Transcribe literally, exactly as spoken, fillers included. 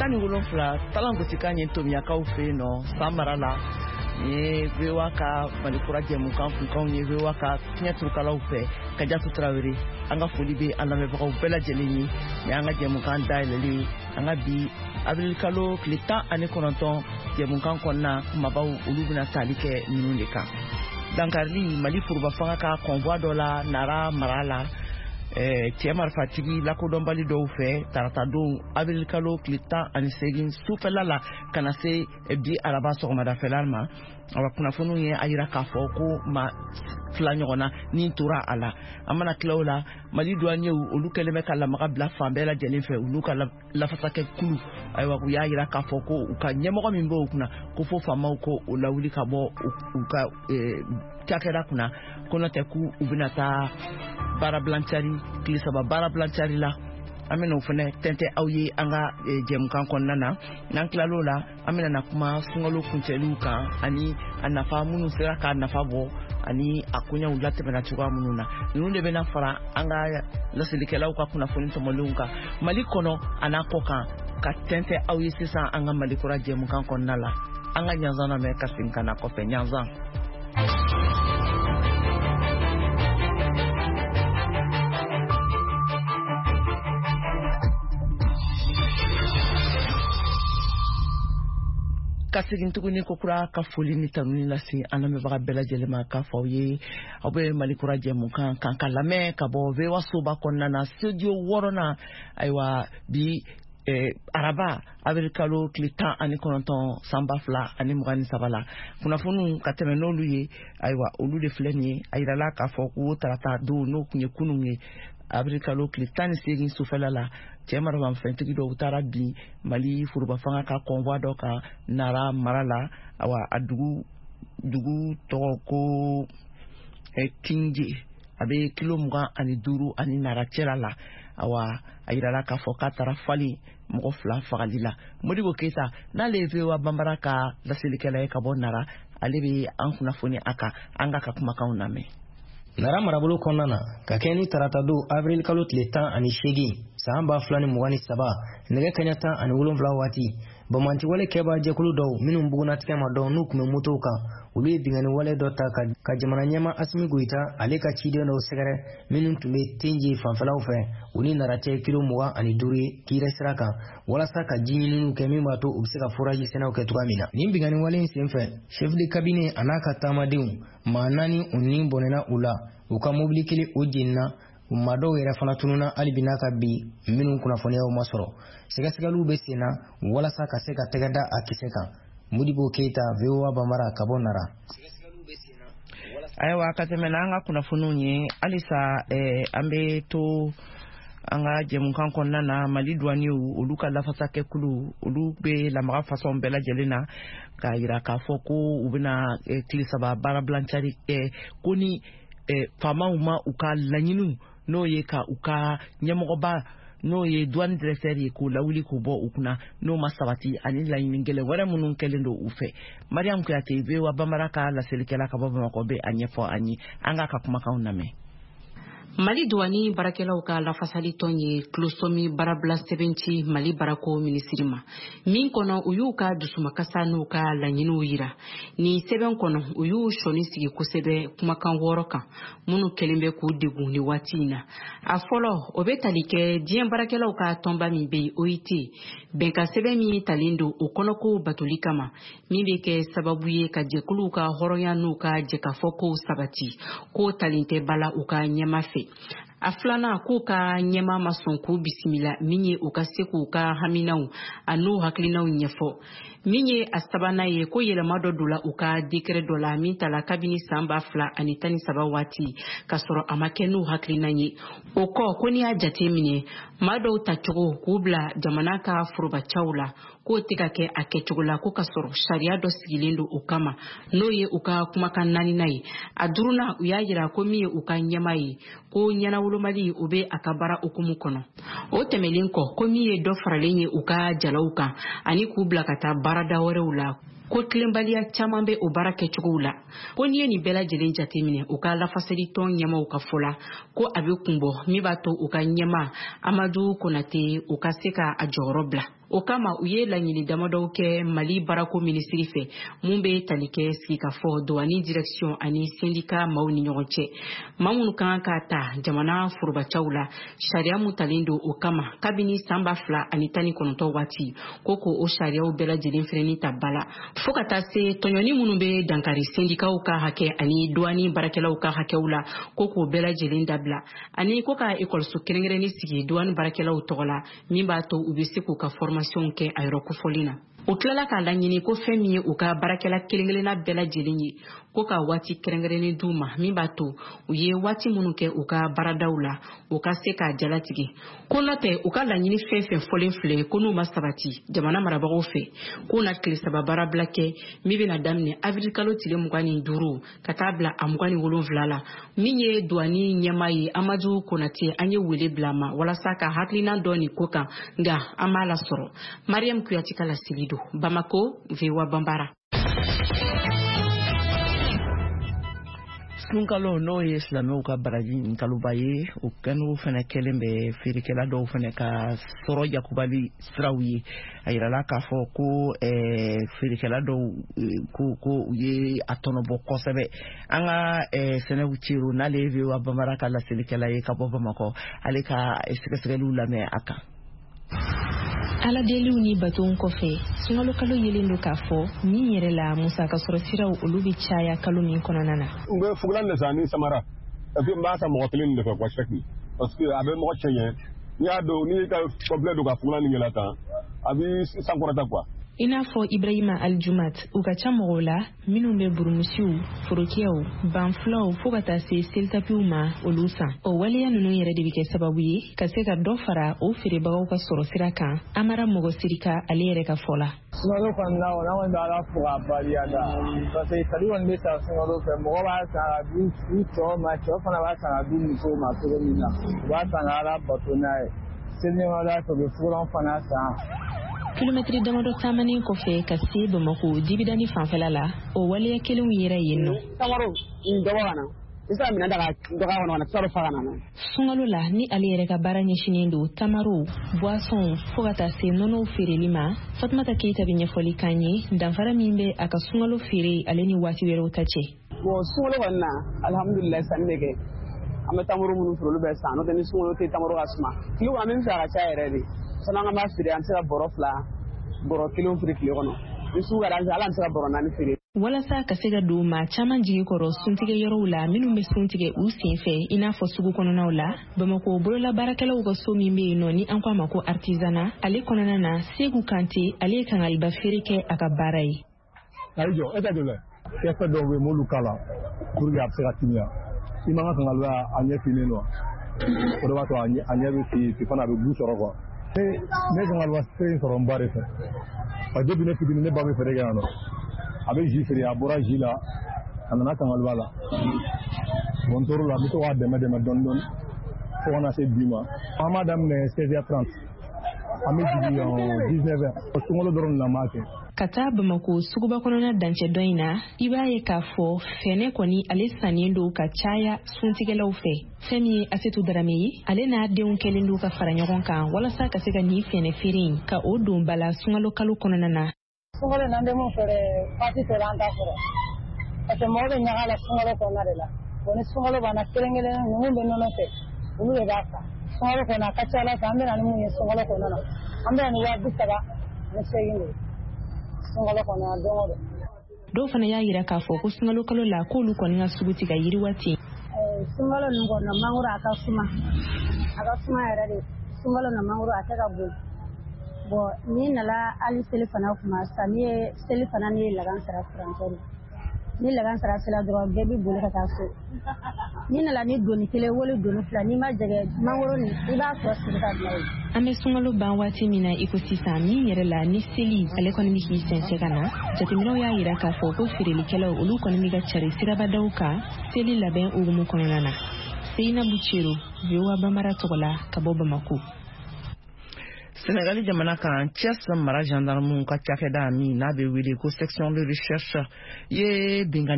Tan ni wolonfila talan gosikan ye Tomiyakaw fɛ yen nɔ san mara la. Nin ye V O A ka Malikura jɛmukan kunkanw ye V O A ka fiɲɛ turukalaw fɛ. Kajatu Tarawele, an ka foli bɛ an lamɛnbagaw bɛɛ lajɛlen ye. Nin y'an ka jɛmukan dayɛlɛlen ye. An ka bi avril kalo tile tan ani kɔnɔntɔn jɛmukan kɔnɔna kumabaw olu bɛna tali kɛ ninnu de kan. Dankarili Mali foroba fanga ka convoi dɔ la Nara mara la, eh, cɛ marifatigi lakodɔnbali dɔw fɛ taratadon avril kalo tile tan ani seegin sufɛla la ka na se bi araba sɔgɔmadafɛla ma. Awa kunnafoniw ye a yira k'a fɔ ko ma fila ɲɔgɔn na ni tora a la. An mana tila o la, Mali douaniers olu kɛlen bɛ ka lamaga bila fan bɛɛ lajɛlen fɛ, olu ka lafasakɛ kulu. Ayiwa u y'a yira k'a fɔ ko u ka ɲɛmɔgɔ min b'o kunna ko fo faamaw ko o lawuli ka bɔ u ka cakɛda kunna, ko n'o tɛ k'u bɛna taa baarabilancari tile saba baarabilancari la. An bɛna o fana tɛntɛn aw ye an ka jɛmukan kɔnɔna na. N'an tilal'o la, an bɛna na kuma sunkalo kuncɛliw kan ani a nafa minnu sera k'a nafa bɔ ani a koɲɛw latɛmɛna cogoya minnu na. Ninnu de bɛna fara an ka laselikɛlaw ka kunnafoni tɔmɔlenw kan Mali kɔnɔ a n'a kɔ kan ka tɛntɛn aw ye sisan an ka Malikura jɛmukan kɔnɔna la. An ka ɲanzan lamɛn ka segin ka na kɔfɛ. Ɲanzan. Ka segin tuguni ko kura ka foli ni tanuni lase an lamɛnbaga bɛɛ lajɛlen ma k'a fɔ aw ye aw bɛ Malikura jɛmukan kan ka lamɛn ka bɔ V O A soba kɔnɔna na studio wɔɔrɔnan. Ayiwa bi eh, araba avril kalo tile tan ani kɔnɔntɔn san ba fila ani mugan ni saba la, kunnafoniw ka tɛmɛ n'olu ye. Ayiwa olu de filɛ nin ye. A yirala k'a fɔ ko tarata don n'o tun ye kunun ye avril kalo tile tan ni seegin sufɛla la, cɛ marifafɛntigi dɔw taara bin Mali foroba fanga ka convoi dɔ kan Nara mara la. Awa a dugu dugu tɔgɔ ko eh, Tinje, a bɛ kilo mugan ani duuru ani Nara cɛla la. Awa a yirala k'a fɔ k'a taara falen mɔgɔ fila fagali la. Modibo Keita n'ale ye V O A Banbara ka laselikɛla ye ka bɔ Nara, ale bɛ an kunnafoni a kan. An k'a ka kumakanw lamɛn. Nara marabolo kɔnɔna na, ka kɛ ni taratadon avril kalo tile tan ani seegin san ba fila ni mugan ni saba nɛgɛ kaɲa tan ani wolonfila waati, banbaanciwale kɛbaa jɛkulu dɔw minnu bugunnatigɛ ma dɔn n'u tun bɛ motow kan, olu ye binkanni wale dɔ ta ka jamana ɲɛmaa Asimi Goyita ale ka ciden dɔw sɛgɛrɛ minnu tun bɛ Tenje fanfɛlaw fɛ, u ni Nara cɛ kilo mugan ani duuru ye kiirɛ sira kan walasa ka ji ɲininiw kɛ min b'a to u bɛ se ka foraji sɛnɛw kɛ cogoya min na. Nin binkanni wale in senfɛ, chef de cabinet a n'a ka taamadenw maa naani u ni bɔnɛna u la, u ka mobili kelen o jenina, maa dɔw yɛrɛ fana tununna hali bi n'a ka bi minnu kunnafoniyaw ma sɔrɔ. Sɛgɛsɛgɛliw bɛ sen na walasa ka se ka tɛgɛ da a kisɛ kan. Modibo Keita, V O A Banbara ka bɔ Nara. Ayiwa ka tɛmɛ n'an ka kunnafoniw ye halisa, eh, an bɛ to an ka jɛmukan kɔnɔna na. Mali douaniers olu ka lafasakɛkulu olu bɛ lamaga fasɔn bɛɛ lajɛlen na k'a yira k'a fɔ ko u bɛna eh, tile saba baarabilancari eh, ko ni eh, faamaw ma u ka laɲiniw n'o ye ka u ka ɲɛmɔgɔba n'o ye douane directeur ye k'o lawuli k'o bɔ u kunna, n'o ma sabati ani laɲini gɛlɛn wɛrɛ minnu kɛlen don u fɛ. Mariam Kuyate, V O A Banbara ka laselikɛla ka bɔ Bamakɔ bɛ a ɲɛfɔ an ye. An k'a ka kumakanw lamɛn. Mali douane baarakɛlaw ka lafasali tɔn ye tulosɔmi baarabila sɛbɛn ci Mali baarako minisiri ma min kɔnɔ u y'u ka dusumakasa n'u ka laɲiniw yira. Nin sɛbɛn kɔnɔ u y'u sɔnni sigi kosɛbɛ kumakan wɔɔrɔ kan minnu kɛlen bɛ k'u degun ni waati in na. A fɔlɔ, o bɛ tali kɛ diɲɛ baarakɛlaw ka tɔnba min bɛ yen O I T, bɛnkan sɛbɛn min talen don o kɔnɔkow batoli kama min bɛ kɛ sababu ye ka jɛkuluw ka hɔrɔnya n'u ka jɛkafɔkow sabati, k'o talen tɛ ba la u ka ɲɛma fɛ. A filanan, k'u ka ɲɛma ma sɔn k'u bisimila min ye u ka se k'u ka haminaw an'u hakilinaw ɲɛfɔ. Min ye a sabanan ye, ko yɛlɛma dɔ donna u ka décret dɔ la min tala kabini san ba fila ani tan ni saba waati k'a sɔrɔ a ma kɛ n'u hakilina ye. O kɔ, ko n'i y'a jate minɛ maa dɔw tacogo k'u bila jamana ka forobacaw la k'o tɛ ka kɛ a kɛcogo la, ko k'a sɔrɔ sariya dɔ sigilen don o kama n'o ye u ka kumakan naaninan ye. A duurunan, u y'a yira ko min ye u ka ɲɛmaa ye, ko ɲɛnawolomali o bɛ a ka baara hukumu kɔnɔ. O tɛmɛlen kɔ, ko min ye dɔ faralen ye u ka jalaw kan ani k'u bila ka taa baarada wɛrɛw la, ko tilenbaliya caman bɛ o baara kɛcogow la. Ko n'i ye nin bɛɛ lajɛlen jateminɛ, u ka lafasali tɔn ɲɛmaw ka fɔ la ko a bɛ kun bɔ min b'a to u ka ɲɛma Amadu Konate u ka se ka a jɔyɔrɔ bila. O kama, u ye laɲini damadɔw kɛ Mali baarako minisiri fɛ, mun bɛ tali kɛ sigikafɔ douane direction ani syndicat maaw ni ɲɔgɔn cɛ. Maa minnu kan ka ta jamana forobacaw la, sariya mun talen don o kama kabini san ba fila ani tan ni kɔnɔntɔn waati, ko ko o sariyaw bɛɛ lajɛlen fɛnɛni ta ba la, fo ka taa se tɔɲɔni minnu bɛ dankari syndicatw ka hakɛ ani douane baarakɛlaw ka hakɛw la, ko k'o bɛɛ lajɛlen dabila, ani ko ka ekɔliso kɛrɛnkɛrɛnni sigi douane baarakɛlaw tɔgɔ la, min b'a to u bɛ se k'u ka formation kɛ a yɔrɔ kofɔlen na. U tilala k'a laɲini ko fɛn min ye u ka baarakɛla kelen-kelenna bɛɛ lajɛlen ye, ko ka waati kɛrɛnkɛrɛnnen d'u ma, min b'a to u ye waati minnu kɛ u ka baaradaw la, u ka se k'a jalatigɛ. Ko n'o tɛ, u ka laɲini fɛn fɛn fɔlen filɛ, ko n'u ma sabati jamana marabagaw fɛ, k'u na tile saba baarabila kɛ, min bɛna daminɛ avril kalo tile mugan ni duuru ka taa bila a mugan ni wolonwula la. Min ye douane ɲɛmaa ye, Amadu Konate, an ye wele bila a ma walasa ka hakilina dɔ nin ko kan, nka an m'a lasɔrɔ. Mariam Kuyate ka laseli don Bamako, V O A Bambara. Sunkalo, n'o ye silamɛw ka baraji kaloba ye, o kɛnɛw fana kɛlen bɛ feerekɛla dɔw fana ka sɔrɔ yakubali siraw ye. A yirala k'a fɔ ko feerekɛla dɔw ko ko u ye a tɔnɔbɔ kosɛbɛ. An ka Sɛnɛw Cero, n'ale ye V O A Bambara ka laselikɛla ye ka bɔ Bamakɔ, ale ka sɛgɛsɛgɛliw lamɛn a kan. Ala deliw ni batonw kɔfɛ, sunkalo kalo yelen don k'a fɔ min yɛrɛ la musaka sɔrɔ siraw olu bɛ caya kalo min kɔnɔna na. N bɛ fugulan de san ni samara, et puis n b'a san mɔgɔ kelen de fɛ quoi, chaque, parce que a bɛ mɔgɔ cɛ ɲɛ. N'i y'a don, n'i ka complet don ka fugulan nin yɛlɛ tan, a b'i sankɔrɔta quoi. I n'a fɔ Ibrahima Aljumat, u ka ca mɔgɔw la minnu bɛ burumusiw, forokiyɛw, banfulaw, fɔɔ ka taa se selitapiw ma, olu san. O waleya ninnu yɛrɛ de bɛ kɛ sababu ye ka se ka dɔ fara o feerebagaw ka sɔrɔ sira kan. Amara mɔgɔ sirika, ale yɛrɛ ka fɔ la: Sunkalo kɔni na kɔni, an kɔni bɛ Ala fo k'a barika da, parce que tali kɔni bɛ san sunkalo fɛ. Mɔgɔ b'a san ka di u cɛw ma, cɛw fana b'a san ka di musow ma cogo min na, u b'a san ka Ala bato n'a ye. Seli ɲɛmada fɛ, u bɛ fugulan fana san. Kilomɛtiri damadɔ taamanen kɔfɛ ka se Bamako Jibidani fanfɛla la, o waleya kelenw yɛrɛ yen nɔ. Tamaro dɔgɔ ka na, i se ka minɛn ta ka dɔgɔ kɔnɔ ka na sɔrɔ fa ka na. Sunkalo la ni ale yɛrɛ ka baara ɲɛsinen don tamarow, boisson, fɔɔ ka taa se nɔnɔw feereli ma, Fatumata Keyita bɛ ɲɛfɔli k'an ye danfara min bɛ a ka sunkalo feere ale ni waati wɛrɛw ta cɛ. Bon, sunkalo kɔni na, alihamudulilayi, sanni bɛ kɛ. An bɛ tamaro minnu feere, olu bɛ san. N'o tɛ, ni sunkalo tɛ, tamaro ka suma. Tile kɔnɔ, an bɛ min fɛ, a ka ca yɛrɛ de. Sani an b'a feere, an bɛ se ka bɔrɔ fila, bɔrɔ kelen feere tile kɔnɔ. Ni sugu ka di an fɛ, hali an bɛ se ka bɔrɔ naani feere. Walasa ka se ka don maa caaman jigi kɔrɔ suntigɛ yɔrɔw la minnu bɛ sun tigɛ u sen fɛ, i n'a fɔ sugu kɔnɔnaw la, Bamako bolola baarakɛlaw ka so min bɛ yen nɔ, ni an ko a ma ko artisanat, ale kɔnɔna na, Segu Kante, ale ye kangaliba feere kɛ a ka baara ye. Ayi, jɔ e ta jɔ dɛ. Kɛfɛ dɔw bɛ yen, m'olu k'a la pour que a bɛ se ka timiya. I man ka kangaliba a ɲɛ finnen don, o de b'a to a ɲɛ bɛ fin fin fana, a bɛ goût sɔrɔ quoi. Ne ne kangaliba feere in sɔrɔ n ba de fɛ, parce que depuis ne fitinin, ne ba bɛ feere kɛ yan nɔ. A bɛ jus feere, a bɔra jus la, a nana kangaliba la. Bon, n tor'o la, n bɛ to k'a dɛmɛ dɛmɛ dɔɔni dɔɔni fo ka na se bi ma. An b'a daminɛ seize heures trente, an bɛ jigin dix-neuf heures. Sunkalo dɔrɔn de la n b'a kɛ. Ka taa Bamako suguba kɔnɔna dancɛ dɔ in na, i b'a ye k'a fɔ fɛnɛ kɔni ale sannen don ka caya suntigɛlaw fɛ. Fɛn min ye Asetu Darame ye, ale n'a denw kɛlen don ka fara ɲɔgɔn kan walasa ka se ka nin fɛnɛ feere in ka o don bala sunkalo kalo kɔnɔna na. Sunkalo in, an bɛ mun feere, waati tɔ la an t'a sɔrɔ, parce que mɔgɔ bɛ ɲaga la sunkalo kɔnɔna de la. Bon, ni sunkalo banna, kelen kelen ninnu bɛ nɔnɔ fɛ, olu de b'a san sunkalo kɔnɔ. A ka ca Ala fɛ, an bɛ na ni mun ye sunkalo kɔnɔna na, an bɛ na ni waa bi saba ani seegin de ye sunkalo kɔnɔna na don o don. Dɔw fana y'a yira k'a fɔ ko sunkalo kalo la, k'olu kɔni ka sugu ti ka yiriwa ten. Sunkalo ninnu kɔnɔ, mangoro a ka suma, a ka suma yɛrɛ de. Sunkalo na, mangoro a tɛ ka bon. Bon, n'i nana hali seli fana kuma, sami ye seli fana ni lagansara furancɛ de. Ni lagansara sera dɔrɔn, bɛɛ bɛ boli ka taa so. N'i nana ni doni kelen wali doni fila, n'i ma jɛgɛ mangoro nin, i b'a tɔ sigi ka bila yen. An bɛ sunkalo ban waati min na i ko sisan, min yɛrɛ la ni seli ale kɔni bɛ k'i sɛnsɛn ka na, jateminɛw y'a yira k'a fɔ ko feerelikɛlaw olu kɔni bɛ ka cari sirabadaw kan seli labɛn hukumu kɔnɔna na. Seyinabu Cero, V O A Bambara tɔgɔ la ka bɔ Bamako. Senegali jamana kan, Thiès mara gendarmew ka cakɛda min n'a bɛ wele ko section de recherche ye binkanni